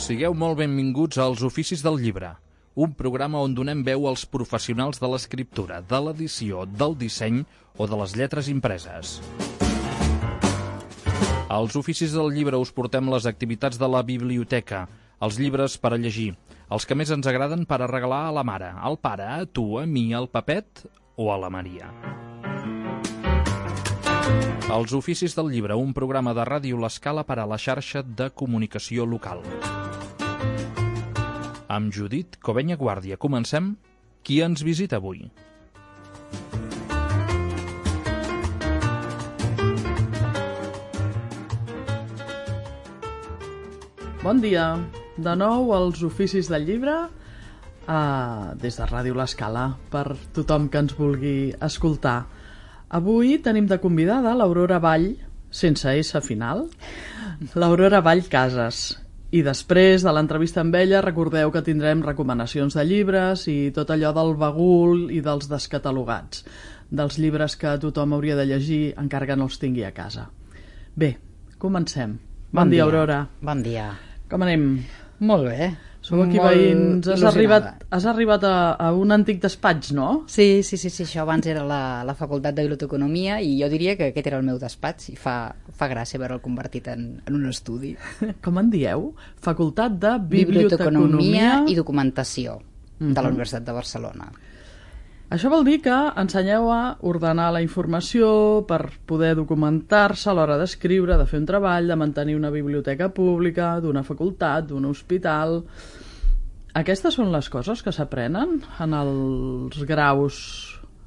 Sigueu molt benvinguts als Oficis del Llibre, un programa on donem veu als professionals de l'escriptura, de l'edició, del disseny o de les lletres impreses. Als Oficis del Llibre us portem les activitats de la biblioteca, els llibres per a llegir, els que més ens agraden per a regalar a la mare, al pare, a tu, a mi, al Pepet o a la Maria. Els Oficis del Llibre, un programa de Ràdio L'Escala per a la xarxa de comunicació local. Amb Judit Covenya Guàrdia comencem. Qui ens visita avui? Bon dia. De nou als Oficis del Llibre, des de Ràdio L'Escala, per tothom que ens vulgui escoltar. Avui tenim de convidada l'Aurora Vall, sense S final, l'Aurora Vall Casas. I després de l'entrevista amb ella recordeu que tindrem recomanacions de llibres i tot allò del bagul i dels descatalogats, dels llibres que tothom hauria de llegir encara que no els tingui a casa. Bé, comencem. Bon dia, Aurora. Bon dia. Com anem? Molt bé. Sou aquí veïns. Has arribat a un antic despatx, no? Sí, això abans era la Facultat de Biblioteconomia i jo diria que aquest era el meu despatx i fa gràcia veure'l convertit en un estudi. Com en dieu? Facultat de Biblioteconomia i Documentació de la Universitat de Barcelona. Això vol dir que ensenyeu a ordenar la informació per poder documentar-se a l'hora d'escriure, de fer un treball, de mantenir una biblioteca pública, d'una facultat, d'un hospital. Aquestes són les coses que s'aprenen en els graus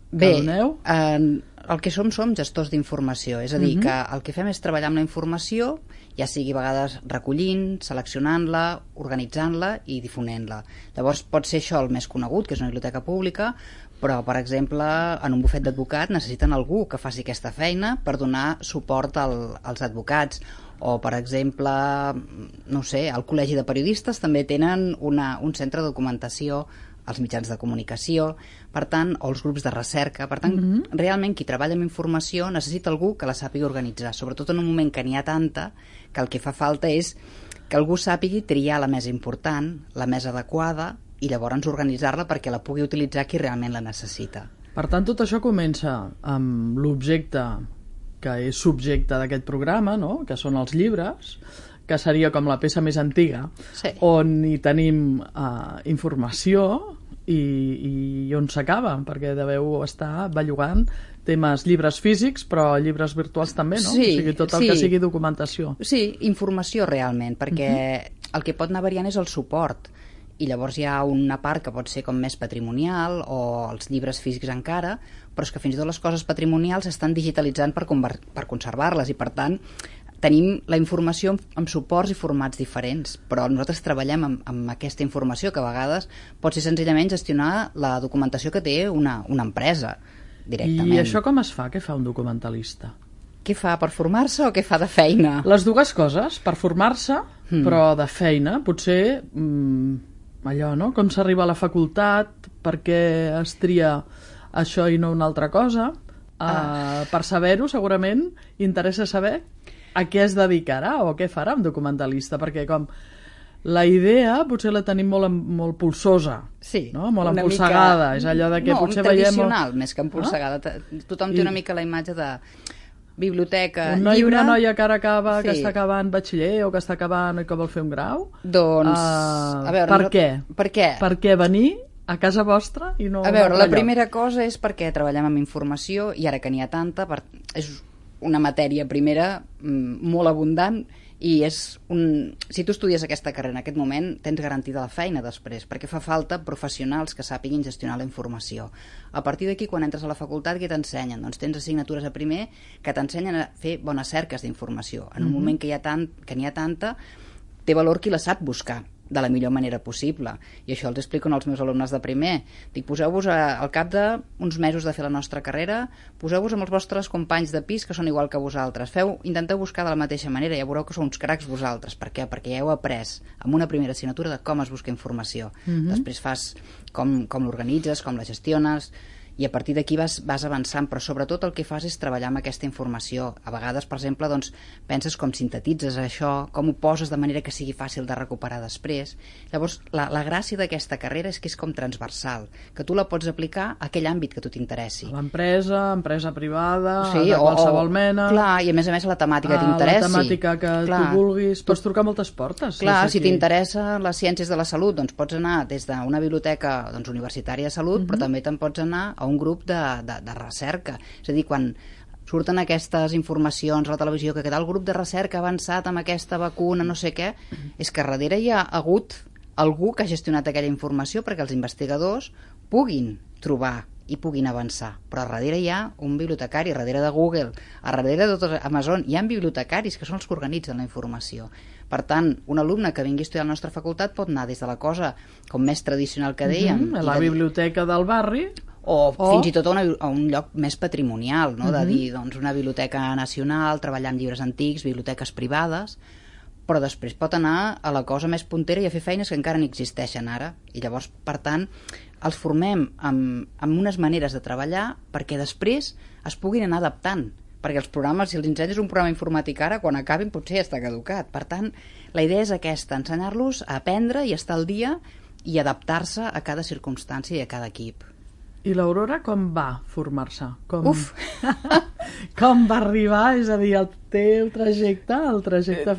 que doneu? El que som gestors d'informació, és a dir, que el que fem és treballar amb la informació, ja sigui a vegades recollint, seleccionant-la, organitzant-la i difonent-la. Llavors pot ser això el més conegut, que és una biblioteca pública, però, per exemple, en un bufet d'advocat necessiten algú que faci aquesta feina per donar suport als advocats. O, per exemple, no sé, al Col·legi de Periodistes també tenen un centre de documentació, els mitjans de comunicació, per tant, o els grups de recerca. Per tant, realment qui treballa amb informació necessita algú que la sàpiga organitzar, sobretot en un moment que n'hi ha tanta que el que fa falta és que algú sàpigui triar la més important, la més adequada, i llavors organitzar-la perquè la pugui utilitzar qui realment la necessita. Per tant, tot això comença amb l'objecte que és subjecte d'aquest programa, no? Que són els llibres, que seria com la peça més antiga, sí, on hi tenim informació i on s'acaba, perquè deveu estar bellugant temes llibres físics, però llibres virtuals també, no? Sí, o sigui, tot el que sigui documentació. Sí, informació realment, perquè el que pot anar variant és el suport, i llavors hi ha una part que pot ser com més patrimonial o els llibres físics encara, però és que fins i tot les coses patrimonials s'estan digitalitzant per conservar-les i per tant tenim la informació amb suports i formats diferents, però nosaltres treballem amb aquesta informació que a vegades pot ser senzillament gestionar la documentació que té una empresa directament. I això com es fa? Què fa un documentalista? Què fa, per formar-se o què fa de feina? Les dues coses, per formar-se, però de feina, potser allò, no? Com s'arriba a la facultat, per què es tria això i no una altra cosa. Per saber-ho, segurament, interessa saber a què es dedicarà o què farà un documentalista, perquè com la idea potser la tenim molt pulsosa, sí, no? Molt empolsegada, és allò de que potser veiem... No, tradicional, més que empolsegada. Tothom té una mica la imatge de biblioteca, un noi llibre... Una noia que ara acaba, que està acabant batxiller o que està acabant i que vol fer un grau. Doncs, a veure... Per què? Per què? Per què venir a casa vostra i no... A veure, la primera cosa és perquè treballem amb informació i ara que n'hi ha tanta, és una matèria primera molt abundant i si tu estudies aquesta carrera en aquest moment tens garantida la feina després, perquè fa falta professionals que sàpiguin gestionar la informació. A partir d'aquí, quan entres a la facultat, què t'ensenyen? Doncs tens assignatures a primer que t'ensenyen a fer bones cerques d'informació. En un moment que n'hi ha tanta, té valor qui la sap buscar de la millor manera possible. I això els explico als meus alumnes de primer. Dic, poseu-vos al cap d'uns mesos de fer la nostra carrera, poseu-vos amb els vostres companys de pis que són igual que vosaltres. Intenteu buscar de la mateixa manera, ja veureu que sou uns cracs vosaltres. Per què? Perquè ja heu après amb una primera assignatura de com es busca informació. Després fas com l'organitzes, com la gestiones, i a partir d'aquí vas avançant, però sobretot el que fas és treballar amb aquesta informació. A vegades, per exemple, doncs, penses com sintetitzes això, com ho poses de manera que sigui fàcil de recuperar després. Llavors, la gràcia d'aquesta carrera és que és com transversal, que tu la pots aplicar a aquell àmbit que tu t'interessi. L'empresa, empresa privada, Sí, de qualsevol mena... Clar, i a més la temàtica que t'interessi. La temàtica que tu vulguis. Pots trucar moltes portes. Clar, si t'interessa les ciències de la salut, doncs pots anar des d'una biblioteca universitària de salut, però també te'n pots anar a un grup de recerca. És a dir, quan surten aquestes informacions a la televisió que el grup de recerca ha avançat amb aquesta vacuna, no sé què, és que darrere hi ha hagut algú que ha gestionat aquella informació perquè els investigadors puguin trobar i puguin avançar. Però a darrere hi ha un bibliotecari, a darrere de Google, a darrere de tot Amazon, hi ha bibliotecaris que són els que organitzen la informació. Per tant, un alumne que vingui a estudiar a la nostra facultat pot anar des de la cosa com més tradicional que dèiem... A la biblioteca del barri... O fins i tot a un lloc més patrimonial, no? De dir, doncs, una biblioteca nacional, treballar amb llibres antics, biblioteques privades, però després pot anar a la cosa més puntera i a fer feines que encara no existeixen ara. I llavors, per tant, els formem amb unes maneres de treballar perquè després es puguin anar adaptant. Perquè els programes, si els ensenyes un programa informàtic ara, quan acabin potser ja està caducat. Per tant, la idea és aquesta, ensenyar-los a aprendre i estar al dia i adaptar-se a cada circumstància i a cada equip. I l'Aurora com va formar-se? Uf! Com va arribar, és a dir, el teu trajecte,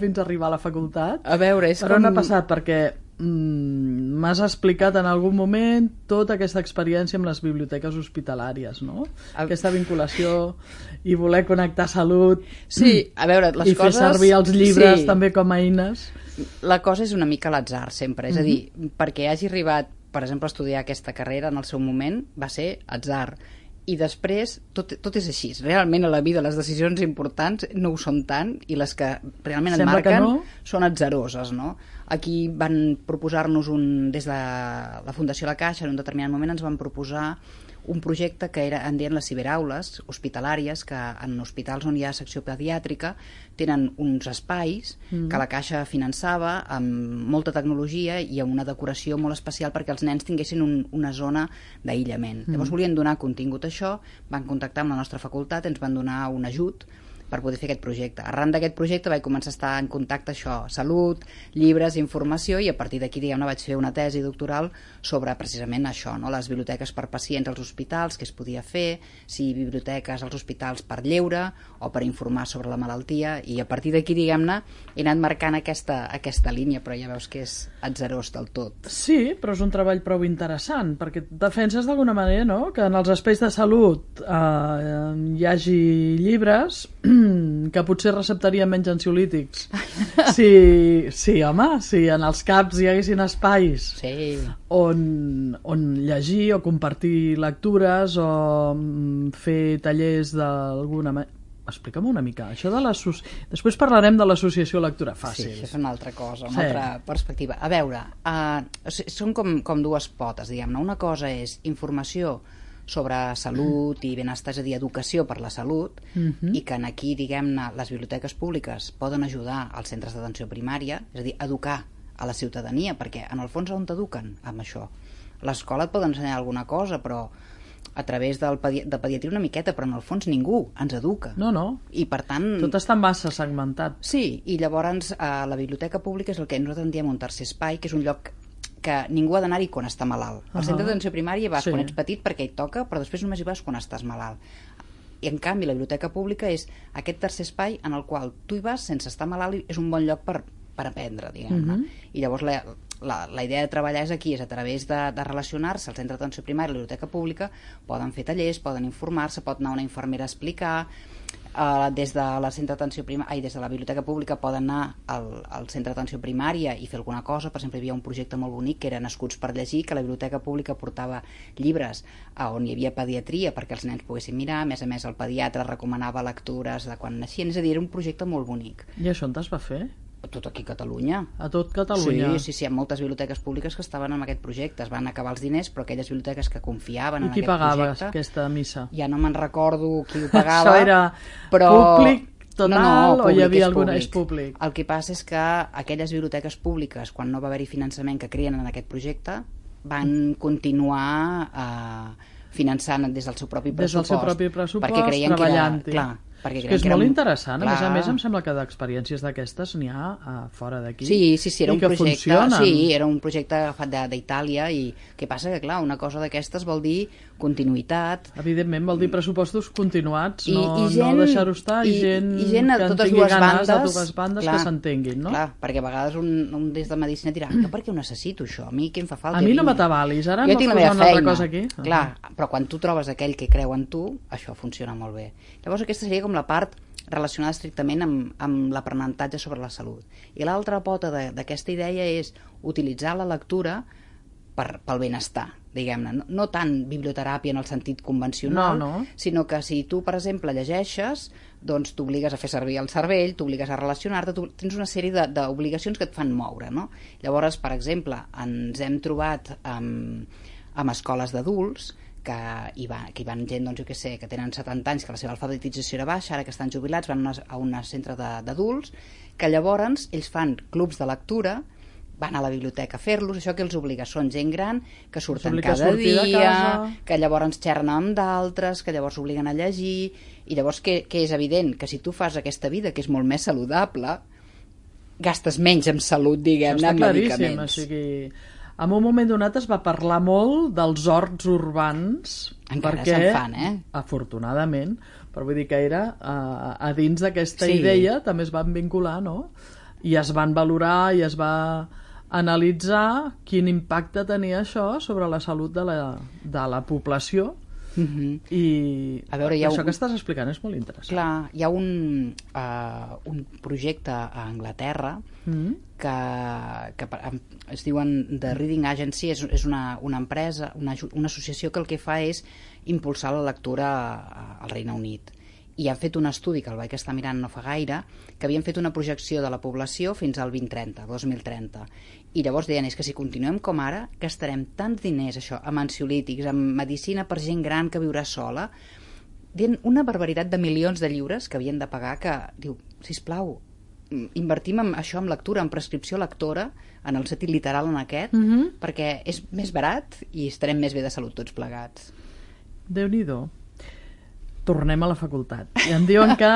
fins a arribar a la facultat? A veure, és per on ha passat? Perquè m'has explicat en algun moment tota aquesta experiència amb les biblioteques hospitalàries, no? Aquesta vinculació i voler connectar salut, sí, a veure, les i fer servir els llibres també com a eines. La cosa és una mica a l'atzar sempre, és a dir, perquè hagi arribat, per exemple, a estudiar aquesta carrera en el seu moment va ser atzar. I després, tot és així. Realment a la vida les decisions importants no ho són tant i les que realment et marquen són atzaroses, no? Aquí van proposar-nos des de la Fundació La Caixa, en un determinat moment ens van proposar un projecte que en deien les ciberaules hospitalàries, que en hospitals on hi ha secció pediàtrica tenen uns espais que la Caixa finançava amb molta tecnologia i amb una decoració molt especial perquè els nens tinguessin una zona d'aïllament. Llavors volien donar contingut a això, van contactar amb la nostra facultat, ens van donar un ajut per poder fer aquest projecte. Arran d'aquest projecte vaig començar a estar en contacte salut, llibres, informació, i a partir d'aquí, diguem-ne, vaig fer una tesi doctoral sobre precisament això, no? Les biblioteques per pacients als hospitals, què es podia fer, si biblioteques als hospitals per lleure o per informar sobre la malaltia, i a partir d'aquí, diguem-ne, he anat marcant aquesta línia, però ja veus que és atzarós del tot. Sí, però és un treball prou interessant, perquè defenses d'alguna manera, no?, que en els espais de salut hi hagi llibres que potser receptarien menys ansiolítics. Sí, home, si en els CAPs hi haguessin espais on llegir o compartir lectures o fer tallers d'alguna manera. Explica'm una mica, això de després parlarem de l'associació Lectura Fàcil. Sí, això és una altra cosa, una altra perspectiva. A veure, són com dues potes, diguem-ne. Una cosa és informació sobre salut i benestar, és a dir, educació per la salut, i que aquí, diguem-ne, les biblioteques públiques poden ajudar als centres d'atenció primària, és a dir, educar a la ciutadania, perquè en el fons on t'eduquen amb això? L'escola et pot ensenyar alguna cosa, però a través de pediatria una miqueta, però en el fons ningú ens educa. No. I per tant... Tot està massa segmentat. Sí, i llavors la biblioteca pública és el que nosaltres en diem un tercer espai, que és un lloc que ningú ha d'anar-hi quan està malalt. Al centre d'atenció primària vas quan ets petit perquè hi toca, però després només hi vas quan estàs malalt. I en canvi la biblioteca pública és aquest tercer espai en el qual tu hi vas sense estar malalt i és un bon lloc per aprendre, diguem-ne. I llavors la idea de treballar és aquí, és a través de relacionar-se al centre d'atenció primària i la biblioteca pública, poden fer tallers, poden informar-se, pot anar una infermera a explicar, des de la centre d'atenció primària, des de la biblioteca pública poden anar al centre d'atenció primària i fer alguna cosa. Per exemple, hi havia un projecte molt bonic que era Nascuts per llegir, que la biblioteca pública portava llibres on hi havia pediatria perquè els nens poguessin mirar, a més el pediatre recomanava lectures de quan naixien, és a dir, era un projecte molt bonic. I això on es va fer? Tot aquí a Catalunya. A tot Catalunya? Sí, hi ha moltes biblioteques públiques que estaven en aquest projecte. Es van acabar els diners, però aquelles biblioteques que confiaven en aquest projecte... I qui pagava aquesta missa? Ja no me'n recordo qui ho pagava. Això era públic total o hi havia alguna... És públic. El que passa és que aquelles biblioteques públiques, quan no va haver-hi finançament que creien en aquest projecte, van continuar finançant des del seu propi pressupost. Des del seu propi pressupost, perquè creien treballant-hi. Clar, perquè és que és molt interessant. Clar. A més em sembla que d'experiències d'aquestes n'hi ha fora d'aquí. Sí, era un projecte. Funcionen. Sí, era un projecte agafat d'Itàlia i què passa? Que clar, una cosa d'aquestes vol dir continuïtat. Evidentment, vol dir pressupostos continuats, no gent, deixar-ho estar, i gent a que totes tingui dues ganes bandes, de dues bandes clar, que s'entenguin, no? Clar, perquè a vegades un des de medicina dirà que per què ho necessito això? A mi què em fa falta? A mi no m'atabalis, ara jo em tinc la posa meva una altra feina. cosa aquí. Clar, però quan tu trobes aquell que creu en tu, això funciona molt bé. Llavors aquesta seria com la part relacionada estrictament amb l'aprenentatge sobre la salut. I l'altra pota d'aquesta idea és utilitzar la lectura pel benestar, diguem-ne. No tant biblioteràpia en el sentit convencional, sinó que si tu, per exemple, llegeixes, doncs t'obligues a fer servir el cervell, t'obligues a relacionar-te, tens una sèrie d'obligacions que et fan moure, no? Llavors, per exemple, ens hem trobat amb escoles d'adults que hi van gent, doncs, jo què sé, que tenen 70 anys, que la seva alfabetització era baixa, ara que estan jubilats, van a un centre d'adults, que llavors ells fan clubs de lectura, van a la biblioteca a fer-los, això que els obliga, són gent gran, que surten cada dia, que llavors xerren amb d'altres, que llavors obliguen a llegir, i llavors que és evident que si tu fas aquesta vida, que és molt més saludable, gastes menys en salut, diguem-ne, en medicaments. O sigui, en un moment donat es va parlar molt dels horts urbans, encara perquè, se'n fan, afortunadament, però vull dir que era a dins d'aquesta idea també es van vincular, no? I es van valorar i es va analitzar quin impacte tenia això sobre la salut de la població. I a veure, això que estàs explicant és molt interessant. Clar, hi ha un projecte a Anglaterra que es diuen The Reading Agency, és una empresa, una associació que el que fa és impulsar la lectura al Regne Unit. I han fet un estudi, que el vaig estar mirant no fa gaire, que havien fet una projecció de la població fins al 2030. I llavors deien, és que si continuem com ara, gastarem tants diners, això, amb ansiolítics, amb medicina per gent gran que viurà sola, deien una barbaritat de milions de lliures que havien de pagar, que diu, sisplau, invertim en això, en lectura, en prescripció lectora, en el sentit literal en aquest, perquè és més barat i estarem més bé de salut tots plegats. Déu-n'hi-do. Tornem a la facultat. I em diuen que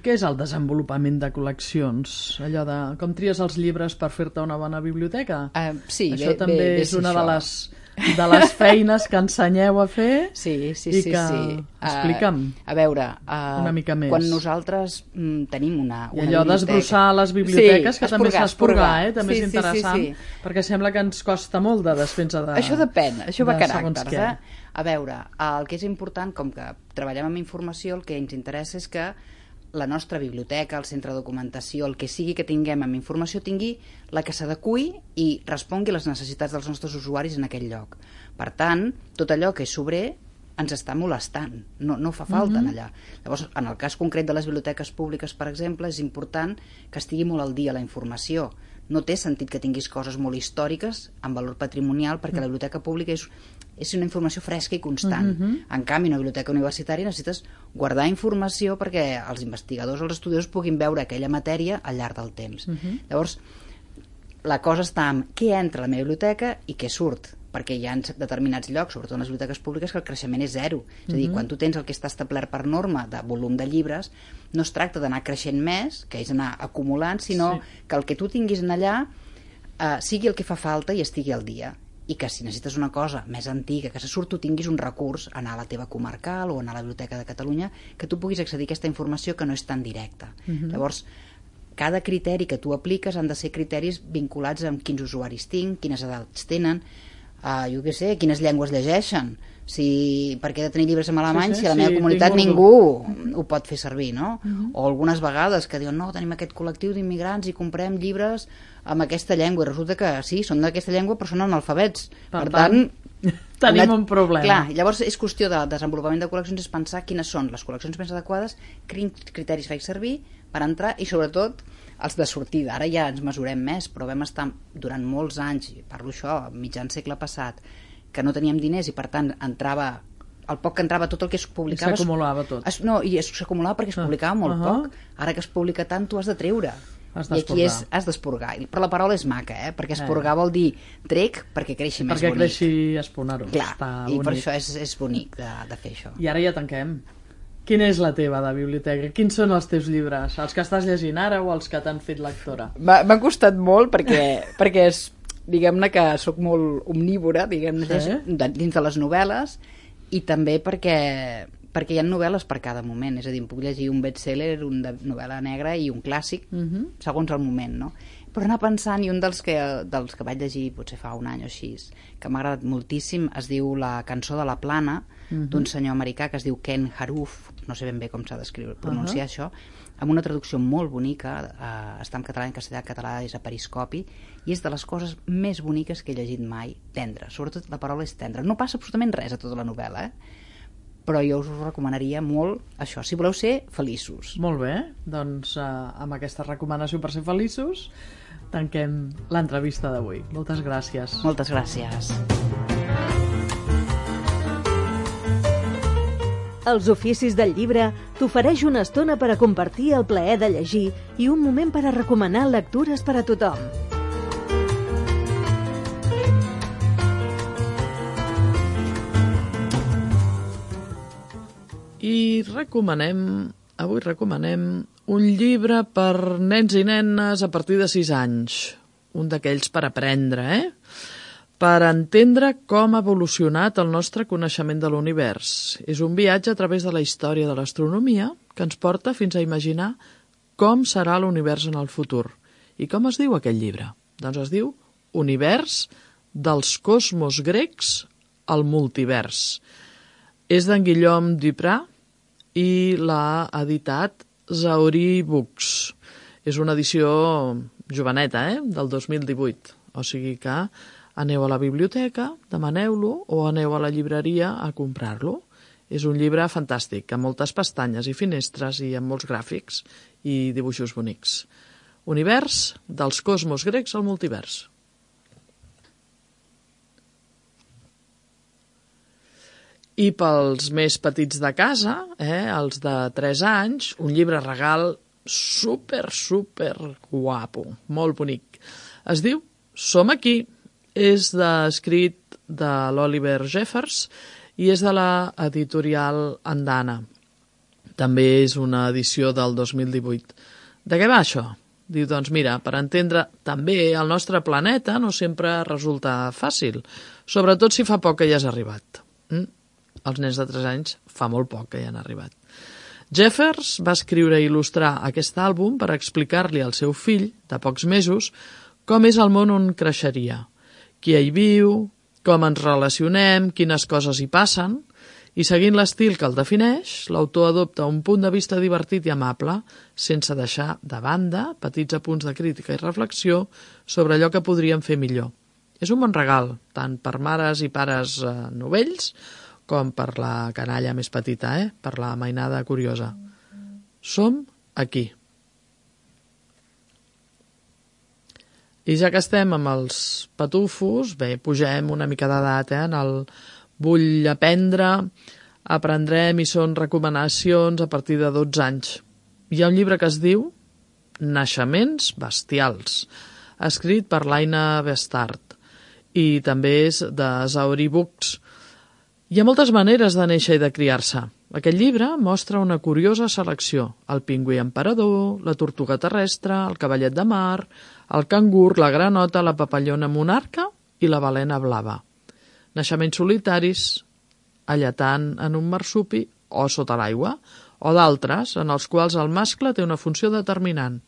què és el desenvolupament de col·leccions? Allò de com tries els llibres per fer-te una bona biblioteca? Sí, això també és una de les feines que ensenyeu a fer. Sí. Explica'm a veure, una mica més. Quan nosaltres tenim una I allò d'esbrossar les biblioteques, que també s'ha esporgar, també és interessant, perquè sembla que ens costa molt de despensa de... Això depèn, això va caràcters, A veure, el que és important, com que treballem amb informació, el que ens interessa és que la nostra biblioteca, el centre de documentació, el que sigui que tinguem amb informació, tingui la que s'adeqüi i respongui les necessitats dels nostres usuaris en aquell lloc. Per tant, tot allò que és sobrer ens està molestant, no fa falta allà. Llavors, en el cas concret de les biblioteques públiques, per exemple, és important que estigui molt al dia la informació. No té sentit que tinguis coses molt històriques amb valor patrimonial, perquè la biblioteca pública és una informació fresca i constant. En canvi, una biblioteca universitària necessites guardar informació perquè els investigadors o els estudiosos puguin veure aquella matèria al llarg del temps. Llavors, la cosa està en què entra a la meva biblioteca i què surt, perquè hi ha determinats llocs, sobretot en les biblioteques públiques, que el creixement és zero. És a dir, quan tu tens el que està establert per norma de volum de llibres, no es tracta d'anar creixent més, que és anar acumulant, sinó que el que tu tinguis en allà sigui el que fa falta i estigui al dia. I que si necessites una cosa més antiga, que se surt, tu tinguis un recurs, anar a la teva comarcal o anar a la Biblioteca de Catalunya, que tu puguis accedir a aquesta informació que no és tan directa. Llavors, cada criteri que tu apliques han de ser criteris vinculats amb quins usuaris tinc, quines edats tenen, jo què sé, quines llengües llegeixen, per què he de tenir llibres en alemany si a la meva comunitat ningú ho pot fer servir, no? O algunes vegades que diuen, no, tenim aquest col·lectiu d'immigrants i comprem llibres amb aquesta llengua, i resulta que sí, són d'aquesta llengua però són analfabets. Per tant, tenim un problema. Clar, llavors és qüestió de desenvolupament de col·leccions, és pensar quines són les col·leccions més adequades, quins criteris faig servir per entrar, i sobretot els de sortida. Ara ja ens mesurem més, però vam estar durant molts anys, parlo això, mitjan segle passat, que no teníem diners i per tant entrava, el poc que entrava, tot el que es publicava s'acumulava tot. No, i s'acumulava perquè es publicava molt poc. Ara que es publica tant, tu has de treure. Has I aquí has d'esporgar. Però la paraula és maca, perquè esporgar vol dir trec perquè creixi més bonic. Perquè creixi espunar-ho. Clar, i per això és bonic de fer això. I ara ja tanquem. Quina és la teva de biblioteca? Quins són els teus llibres? Els que estàs llegint ara o els que t'han fet lectora? M'ha costat molt perquè és, diguem-ne que sóc molt omnívora, dins de les novel·les, i també perquè hi ha novel·les per cada moment, és a dir, em puc llegir un best-seller, una novel·la negra i un clàssic, segons el moment, no? Però anar pensant, i un dels que vaig llegir potser fa un any o així, que m'ha agradat moltíssim, es diu La cançó de la plana, d'un senyor americà que es diu Ken Haruf, no sé ben bé com s'ha d'escriure, pronunciar això, amb una traducció molt bonica, està en català, en català és a periscopi, i és de les coses més boniques que he llegit mai, tendre, sobretot la paraula és tendre. No passa absolutament res a tota la novel·la, però jo us ho recomanaria molt, això, si voleu ser feliços. Molt bé, doncs amb aquesta recomanació per ser feliços tanquem l'entrevista d'avui. Moltes gràcies. Moltes gràcies. Els oficis del llibre t'ofereix una estona per a compartir el plaer de llegir i un moment per a recomanar lectures per a tothom. I avui recomanem un llibre per nens i nenes a partir de 6 anys. Un d'aquells per aprendre, per entendre com ha evolucionat el nostre coneixement de l'univers. És un viatge a través de la història de l'astronomia que ens porta fins a imaginar com serà l'univers en el futur. I com es diu aquest llibre? Doncs es diu Univers dels cosmos grecs al multivers. És d'en Guillaume Duprat i l'ha editat Zahorí Books. És una edició joveneta, del 2018. O sigui que aneu a la biblioteca, demaneu-lo, o aneu a la llibreria a comprar-lo. És un llibre fantàstic, amb moltes pestanyes i finestres i amb molts gràfics i dibuixos bonics. Univers dels cosmos grecs al multivers. I pels més petits de casa, els de 3 anys, un llibre regal super guapo, molt bonic. Es diu Som aquí. És escrit de l'Oliver Jeffers i és de la editorial Andana. També és una edició del 2018. De què va això? Diu, doncs mira, per entendre també el nostre planeta no sempre resulta fàcil, sobretot si fa poc que hi has arribat. Els nens de 3 anys fa molt poc que hi han arribat. Jeffers va escriure i il·lustrar aquest àlbum per explicar-li al seu fill, de pocs mesos, com és el món on creixeria, qui hi viu, com ens relacionem, quines coses hi passen, i seguint l'estil que el defineix, l'autor adopta un punt de vista divertit i amable, sense deixar de banda petits apunts de crítica i reflexió sobre allò que podríem fer millor. És un bon regal, tant per mares i pares novells, com per la canalla més petita, per la mainada curiosa. Som aquí. I ja que estem amb els patufos, bé, pugem una mica d'edat, en el vull aprendre, aprendrem i són recomanacions a partir de 12 anys. Hi ha un llibre que es diu Naixements bestials, escrit per l'Aina Bestart, i també és de Zahorí Books. Hi ha moltes maneres de néixer i de criar-se. Aquest llibre mostra una curiosa selecció. El pingüí emperador, la tortuga terrestre, el cavallet de mar, el cangur, la granota, la papallona monarca i la balena blava. Naixements solitaris, alletant en un marsupi o sota l'aigua, o d'altres en els quals el mascle té una funció determinant.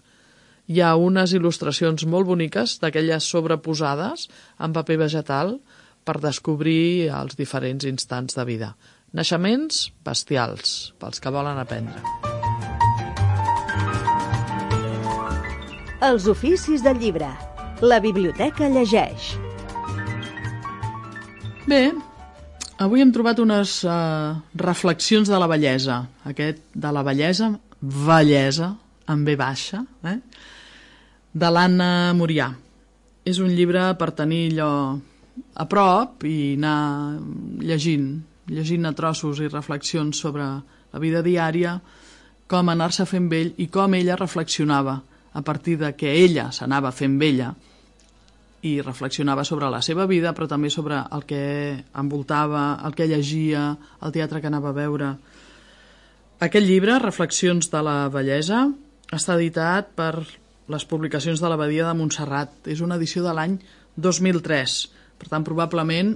Hi ha unes il·lustracions molt boniques d'aquelles sobreposades en paper vegetal per descobrir els diferents instants de vida. Naixements bestials, pels que volen aprendre. Els oficis del llibre. La biblioteca llegeix. Bé, avui hem trobat unes reflexions de la bellesa. Aquest de la bellesa, amb V baixa, de l'Anna Murià. És un llibre per tenir allò a prop i anar llegint a trossos i reflexions sobre la vida diària, com anar-se fent vell i com ella reflexionava a partir de que ella s'anava fent vella i reflexionava sobre la seva vida, però també sobre el que envoltava, el que llegia, el teatre que anava a veure. Aquest llibre, Reflexions de la vellesa, està editat per les publicacions de l'Abadia de Montserrat. És una edició de l'any 2003. Per tant, probablement,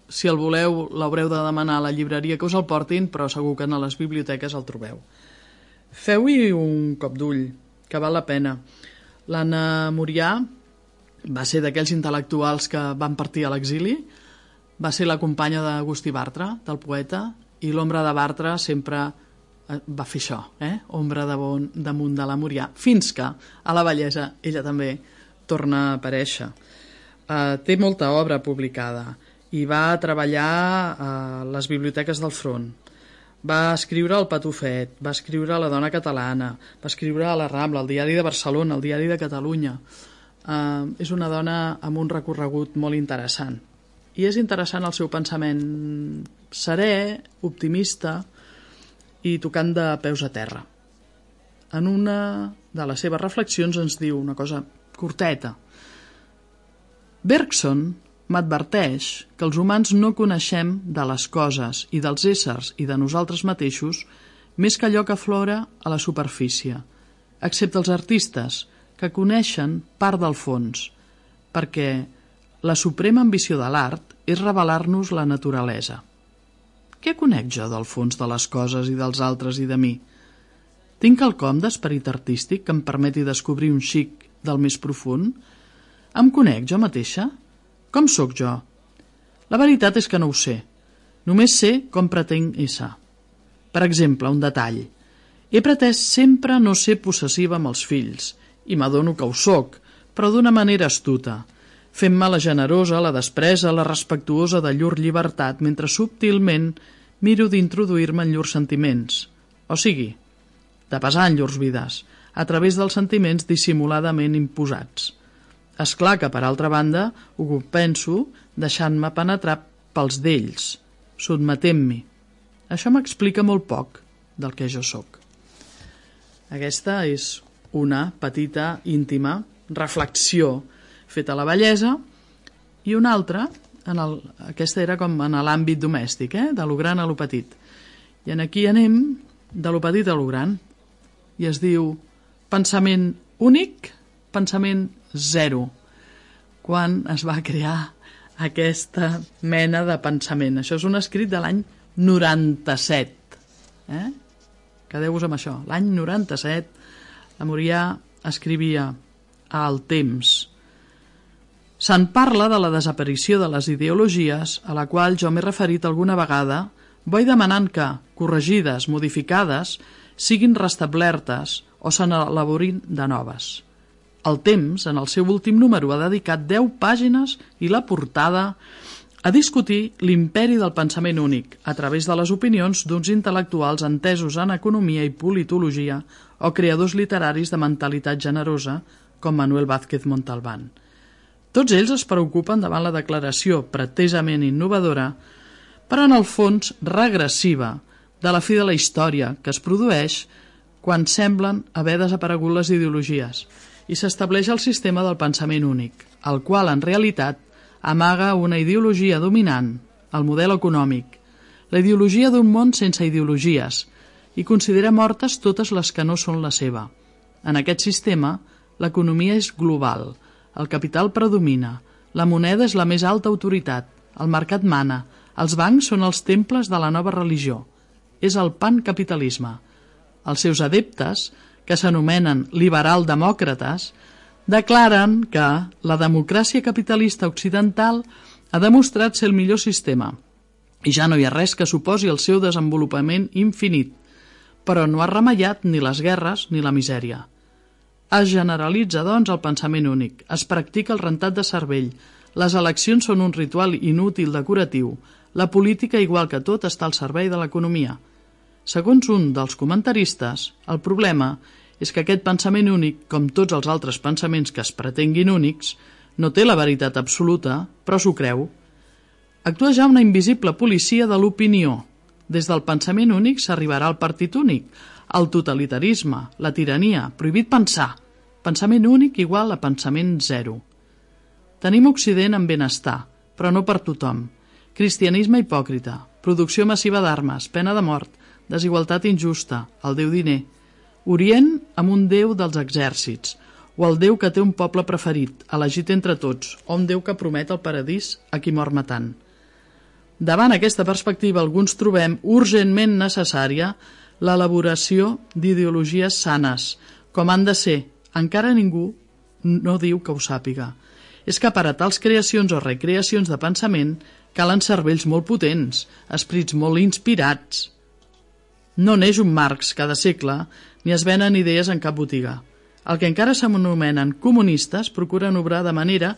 si el voleu, l'haureu de demanar a la llibreria que us el portin, però segur que a les biblioteques el trobeu. Feu-hi un cop d'ull, que val la pena. L'Anna Murià va ser d'aquells intel·lectuals que van partir a l'exili, va ser la companya d'Agustí Bartra, del poeta, i l'ombra de Bartra sempre va fer això, ombra damunt de la Murià, fins que a la vellesa ella també torna a aparèixer. Té molta obra publicada i va treballar a les biblioteques del Front. Va escriure El Patufet, va escriure La dona catalana, va escriure a la Rambla, el Diari de Barcelona, el Diari de Catalunya. És una dona amb un recorregut molt interessant. I és interessant el seu pensament serè, optimista i tocant de peus a terra. En una de les seves reflexions ens diu una cosa curteta. Bergson m'adverteix que els humans no coneixem de les coses i dels éssers i de nosaltres mateixos més que allò que aflora a la superfície, excepte els artistes, que coneixen part del fons, perquè la suprema ambició de l'art és revelar-nos la naturalesa. Què conec jo del fons de les coses i dels altres i de mi? Tinc quelcom d'esperit artístic que em permeti descobrir un xic del més profund? Em conec jo mateixa? Com sóc jo? La veritat és que no ho sé. Només sé com pretenc ésser. Per exemple, un detall. He pretès sempre no ser possessiva amb els fills, i m'adono que ho soc, però d'una manera astuta, fent-me la generosa, la despresa, la respectuosa de llur llibertat, mentre subtilment miro d'introduir-me en llurs sentiments, o sigui, de pesar en llurs vides, a través dels sentiments dissimuladament imposats. És clar que, per altra banda, ho penso deixant-me penetrar pels d'ells, sotmetent-m'hi. Això m'explica molt poc del que jo sóc. Aquesta és una petita, íntima reflexió feta a la vellesa i una altra, aquesta era com en l'àmbit domèstic, de lo gran a lo petit. I aquí anem de lo petit a lo gran. I es diu pensament únic, pensament zero. Quan es va crear aquesta mena de pensament? Això és un escrit de l'any 97. Quedeu-vos amb això. L'any 97 la Murià escrivia a El Temps. Se'n parla de la desaparició de les ideologies, a la qual jo m'he referit alguna vegada, vull demanant que, corregides, modificades, siguin restablertes o se n'elaborin de noves. El Temps, en el seu últim número, ha dedicat 10 pàgines i la portada a discutir l'imperi del pensament únic a través de les opinions d'uns intel·lectuals entesos en economia i politologia o creadors literaris de mentalitat generosa com Manuel Vázquez Montalbán. Tots ells es preocupen davant la declaració pretesament innovadora, però en el fons regressiva, de la fi de la història que es produeix quan semblen haver desaparegut les ideologies i s'estableix el sistema del pensament únic, el qual en realitat amaga una ideologia dominant, el model econòmic, la ideologia d'un món sense ideologies, i considera mortes totes les que no són la seva. En aquest sistema, l'economia és global, el capital predomina, la moneda és la més alta autoritat, el mercat mana, els bancs són els temples de la nova religió. És el pancapitalisme. Els seus adeptes, que s'anomenen liberal-demòcrates, declaren que la democràcia capitalista occidental ha demostrat ser el millor sistema i ja no hi ha res que suposi el seu desenvolupament infinit, però no ha remellat ni les guerres ni la misèria. Es generalitza, doncs, el pensament únic, es practica el rentat de cervell, les eleccions són un ritual inútil decoratiu, la política, igual que tot, està al servei de l'economia. Segons un dels comentaristes, el problema és que aquest pensament únic, com tots els altres pensaments que es pretenguin únics, no té la veritat absoluta, però s'ho creu. Actua ja una invisible policia de l'opinió. Des del pensament únic s'arribarà al partit únic, al totalitarisme, la tirania, prohibit pensar, Pensament únic igual a pensament zero. Tenim Occident en benestar, però no per tothom. Cristianisme hipòcrita, producció massiva d'armes, pena de mort, desigualtat injusta, el déu diner. Orient amb un déu dels exèrcits, o el déu que té un poble preferit, elegit entre tots, o un déu que promet el paradís a qui mor matant. Davant aquesta perspectiva, alguns trobem urgentment necessària l'elaboració d'ideologies sanes, com han de ser. Encara ningú no diu que ho sàpiga. És que per a tals creacions o recreacions de pensament calen cervells molt potents, esprits molt inspirats. No neix un Marx cada segle, ni es venen idees en cap botiga. El que encara s'anomenen comunistes procuren obrar de manera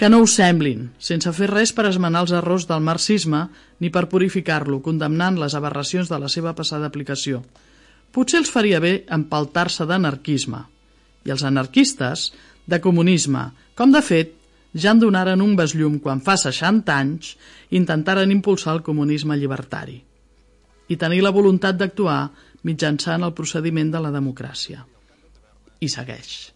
que no ho semblin, sense fer res per esmenar els errors del marxisme ni per purificar-lo, condemnant les aberracions de la seva passada aplicació. Potser els faria bé empaltar-se d'anarquisme. I els anarquistes, de comunisme, com de fet ja en donaren un besllum quan fa 60 anys intentaren impulsar el comunisme llibertari i tenir la voluntat d'actuar mitjançant el procediment de la democràcia. I segueix.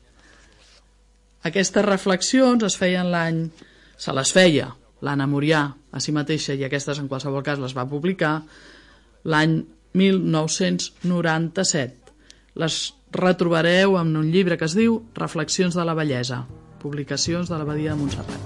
Aquestes reflexions es feien se les feia l'Anna Murià a si mateixa, i aquestes en qualsevol cas les va publicar l'any 1997. Les retrobareu en un llibre que es diu Reflexions de la bellesa, publicacions de l'Abadia de Montserrat.